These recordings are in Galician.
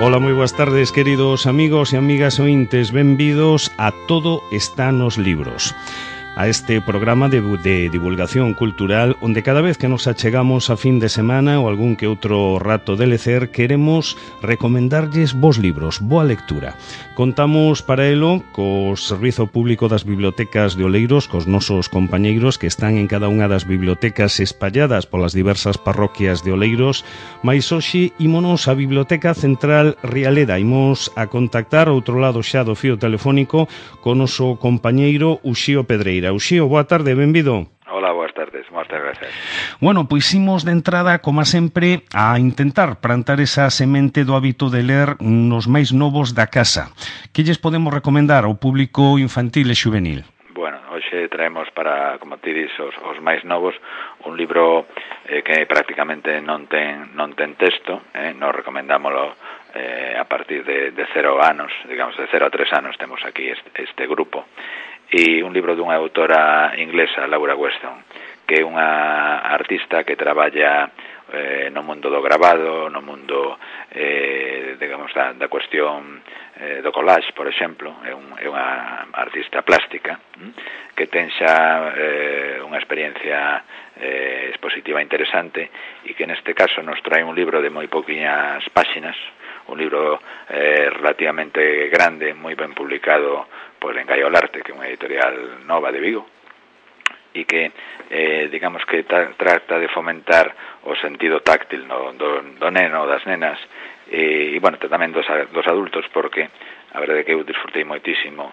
Ola, moi boas tardes, queridos amigos e amigas ointes. Benvidos a Todo está nos libros, a este programa de divulgación cultural onde cada vez que nos achegamos a fin de semana ou algún que outro rato de lecer queremos recomendarlles vos libros, boa lectura. Contamos para elo co Servizo Público das Bibliotecas de Oleiros, cos nosos compañeiros que están en cada unha das bibliotecas espalladas polas diversas parroquias de Oleiros, mais hoxe ímonos á Biblioteca Central Rialeda. Imos a contactar ao outro lado xa do fío telefónico co noso compañeiro Uxío Pedreira. Uxío, boa tarde, benvido. Hola, boas tardes, moitas gracias. Bueno, pois imos de entrada, como sempre, a intentar plantar esa semente do hábito de ler nos máis novos da casa. Que lles podemos recomendar ao público infantil e xuvenil? Bueno, hoxe traemos para, como ti dis, os máis novos, un libro que prácticamente non ten texto, nos recomendámoslo a partir de 0 anos, digamos, de 0 a 3 anos temos aquí este grupo. E un libro dunha autora inglesa, Laura Weston, que é unha artista que traballa no mundo do grabado, no mundo, digamos, da cuestión do collage, por exemplo. É unha artista plástica que ten xa unha experiencia expositiva interesante e que neste caso nos trae un libro de moi pouquiñas páxinas, un libro relativamente grande, moi ben publicado por Engaiolarte, que é unha editorial nova de Vigo, e que, digamos que trata de fomentar o sentido táctil do neno, das nenas, e bueno, tamén dos adultos, porque a verdade é que eu disfrutei moitísimo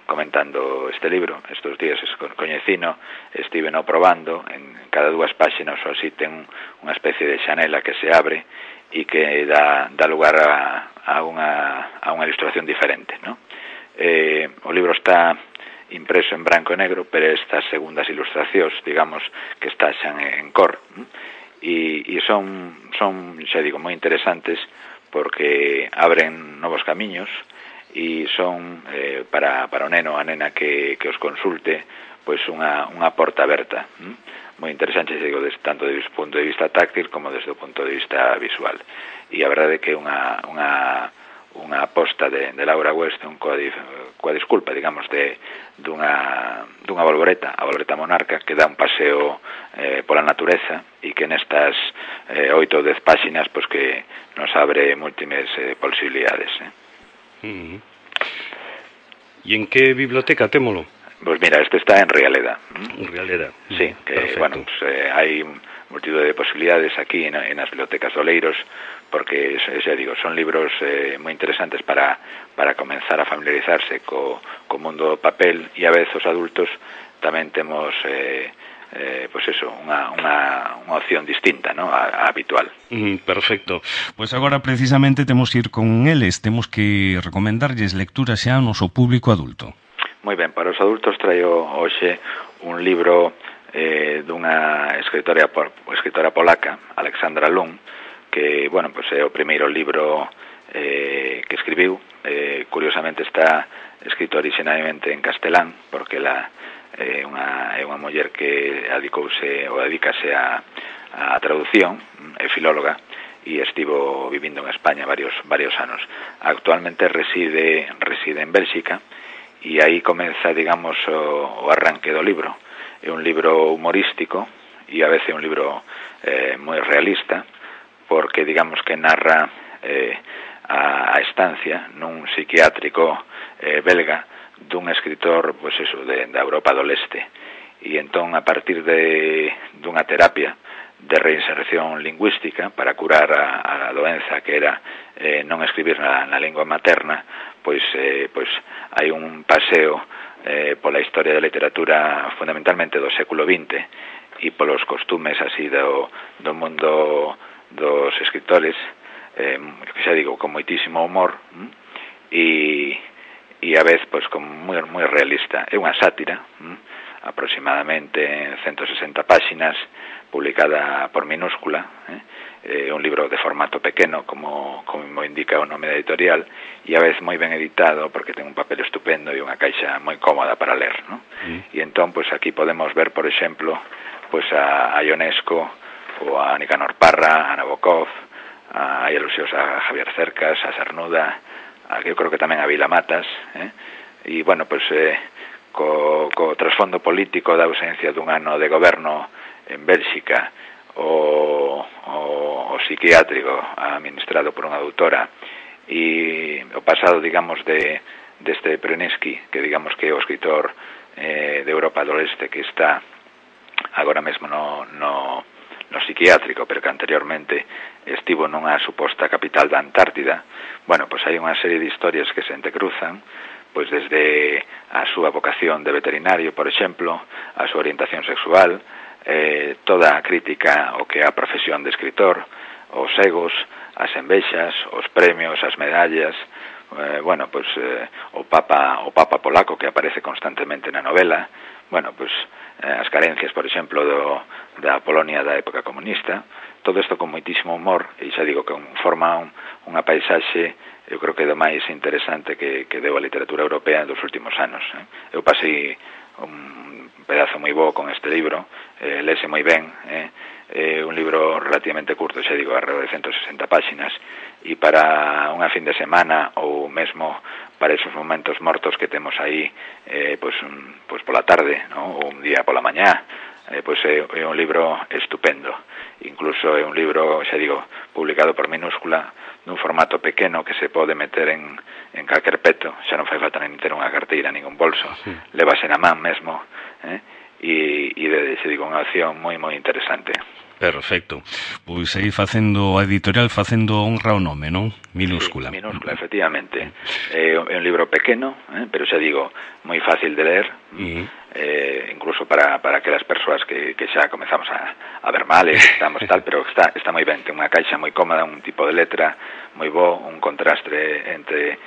comentando este libro. Estes días coñecino, estiveno probando, en cada 2 páxinas ou así ten unha especie de xanela que se abre e que dá lugar a unha ilustración diferente, ¿no? O libro está impreso en branco e negro, pero estas segundas ilustracións, digamos, que está xa en cor, e son, xa digo, moi interesantes porque abren novos camiños e son para o neno, a nena que os consulte, pois unha porta aberta, moi interesante, xa digo, tanto desde o punto de vista táctil como desde o punto de vista visual. E a verdade é que unha aposta de Laura Weston coa disculpa, digamos, dunha bolboreta, a bolboreta monarca, que dá un paseo pola natureza e que nestas 8 ou 10 páxinas pois que nos abre múltiples posibilidades. E en que biblioteca témolo? Pois mira, este está en Rialeda. En Rialeda. Sí, que, perfecto. Bueno, pues, hai multitud de posibilidades aquí en as bibliotecas de Oleiros, porque, xa digo, son libros moi interesantes para comenzar a familiarizarse co mundo do papel, e a vez os adultos tamén temos pois eso, unha opción distinta, ¿no?, a habitual. Perfecto. Pois agora precisamente temos que ir con eles, temos que recomendarlles lecturas xa ao noso público adulto. Moi ben, para os adultos traio hoxe un libro dunha escritora polaca, Alexandra Lung, que, bueno, pues é o primeiro libro que escribiu. Curiosamente está escrito originalmente en castelán, porque ela é unha muller que dedícase a traducción, é filóloga, e estivo vivindo en España varios anos. Actualmente reside en Bélxica, e aí comeza, digamos, o arranque do libro. É un libro humorístico e a veces un libro moi realista, porque, digamos, que narra a estancia nun psiquiátrico belga dun escritor, pois eso, da Europa do Leste. E entón, a partir dunha terapia de reinserción lingüística para curar a doenza que era non escribir na lingua materna, pois hai un paseo pola historia da literatura fundamentalmente do século XX e polos costumes así do mundo dos escritores, que xa digo, con moitísimo humor e a vez pois con moi realista. É unha sátira, aproximadamente en 160 páxinas, publicada por Minúscula, un libro de formato pequeno, como indica o nome da editorial, e a vez moi ben editado, porque ten un papel estupendo e unha caixa moi cómoda para ler, ¿no? E entón, pois aquí podemos ver, por exemplo, pois a Ionesco, ou a Nicanor Parra, a Nabokov, hai alusións a Javier Cercas, a Cernuda, eu creo que tamén a Vila Matas, e, bueno, pois, co trasfondo político da ausencia dun ano de goberno en Bélxica, o psiquiátrico administrado por unha doutora, e o pasado, digamos, deste Prenesky, que digamos que é o escritor de Europa do Leste que está agora mesmo no psiquiátrico, pero que anteriormente estivo nunha suposta capital da Antártida. Bueno, pois hai unha serie de historias que se entrecruzan, pois desde a súa vocación de veterinario, por exemplo, a súa orientación sexual, toda a crítica ao que é a profesión de escritor, os egos, as envexas, os premios, as medallas, bueno, pois o Papa polaco que aparece constantemente na novela, bueno, pois as carencias, por exemplo, da Polonia da época comunista, todo isto con moitísimo humor, e xa digo que forma unha paisaxe, eu creo que é do máis interesante que deu a literatura europea dos últimos anos. Eu pasei un pedazo moi bo con este libro, lese moi ben, é un libro relativamente curto, xa digo, alrededor de 160 páxinas, e para unha fin de semana ou mesmo para esos momentos mortos que temos aí, pois pola tarde, ¿no? Ou un día pola mañá, pois é un libro estupendo. Incluso é un libro, xa digo, publicado por minúscula, nun formato pequeno que se pode meter en calquer peto, xa non fai falta nin ter unha carteira, nin un bolso, levase na man mesmo, e xa digo, unha opción moi interesante. Perfecto. Pois aí facendo a editorial, facendo honra ao nome, non? Minúscula. Sí, minúscula, efectivamente. É un libro pequeno, pero xa digo, moi fácil de ler, incluso para aquelas persoas que xa comezamos a ver mal, estamos tal, pero está moi ben, ten unha caixa moi cómoda, un tipo de letra moi bo, un contraste entre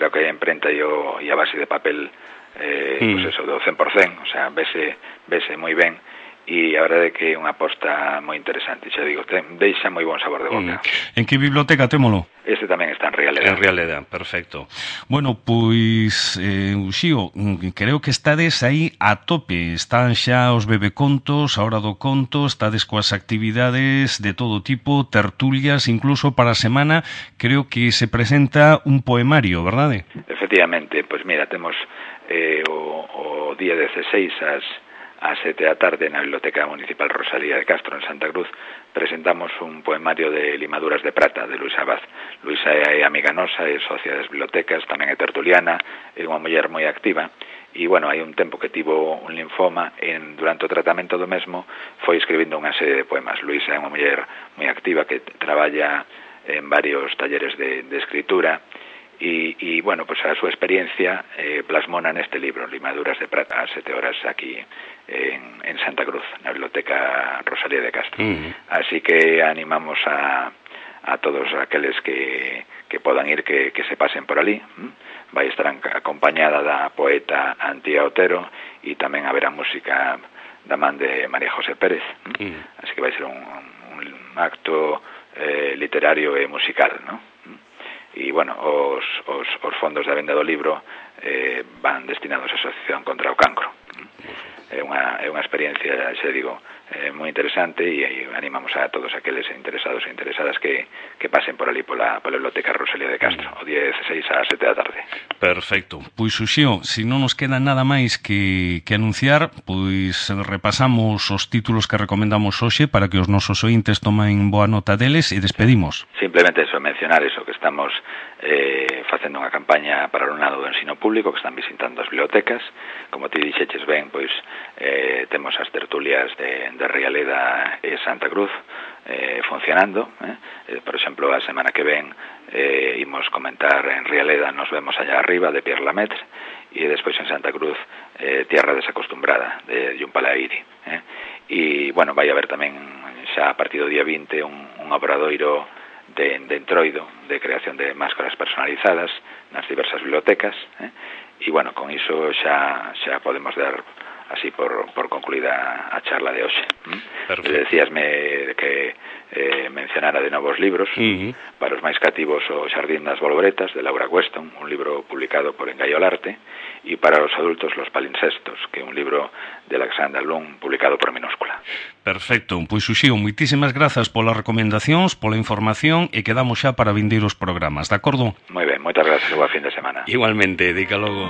o que é a imprenta e a base de papel, pois eso, do 100%, o sea, vese moi ben. E a verdade é que é unha aposta moi interesante, xa digo, deixa moi bon sabor de boca. En que biblioteca témolo? Este tamén está en Rialeda. En Rialeda, perfecto. Bueno, pois, Uxío, creo que estades aí a tope, están xa os bebecontos, a hora do conto, estades coas actividades de todo tipo, tertulias, incluso para a semana, creo que se presenta un poemario, verdade? Efectivamente, pois mira, temos o día 16 ás 7 da tarde na Biblioteca Municipal Rosalía de Castro, en Santa Cruz, presentamos un poemario de Limaduras de Prata, de Luisa Abad. Luisa é amiga nosa, é socia das bibliotecas, tamén é tertuliana, é unha muller moi activa, e, bueno, hai un tempo que tivo un linfoma, durante o tratamento do mesmo, foi escribindo unha serie de poemas. Luisa é unha muller moi activa que traballa en varios talleres de escritura, e bueno, pues a súa experiencia plasmona neste libro, Limaduras de Prata, ás 7 horas aquí en Santa Cruz, na Biblioteca Rosalía de Castro. Así que animamos a todos aqueles que podan ir, que se pasen por ali. Vai estar acompañada da poeta Antía Otero, e tamén haberá música da man de María José Pérez. Así que vai ser un acto literario e musical, ¿no? E, bueno, os fondos da venda do libro van destinados á Asociación contra o Cancro. É unha experiencia, xa digo, moi interesante, e animamos a todos aqueles interesados e interesadas que pasen por ali pola Biblioteca Rosalía de Castro, o día 16 ás 7 da tarde. Perfecto. Pois, Uxío, se non nos queda nada máis que anunciar, pois repasamos os títulos que recomendamos hoxe para que os nosos ointes tomen boa nota deles e despedimos. Simplemente eso, mencionar eso, que estamos facendo unha campaña para o alumnado do ensino público, que están visitando as bibliotecas. Como ti dixeches ben, pois temos as tertulias de Rialeda e Santa Cruz funcionando. Por exemplo, a semana que ven imos comentar en Rialeda Nos vemos allá arriba, de Pierre Lamaitre, e despois en Santa Cruz Tierra desacostumbrada, de Jun Palairi. E, bueno, vai haber tamén xa a partir do día 20 un obradoiro de Entroido, de creación de máscaras personalizadas nas diversas bibliotecas, e, bueno, con iso xa podemos dar así por concluída a charla de hoxe. Decíasme que mencionara de novos libros. Para os máis cativos, o Xardín das Bolboretas, de Laura Weston, un libro publicado por Engaiolarte, e para os adultos, Los Palincestos, que é un libro de Alexandra Lung, publicado por Minúscula. Perfecto, pois Uxío, moitísimas grazas polas recomendacións, pola información, e quedamos xa para vindeiros programas, de acordo? Moi ben, moitas grazas e boa fin de semana. Igualmente, dica logo.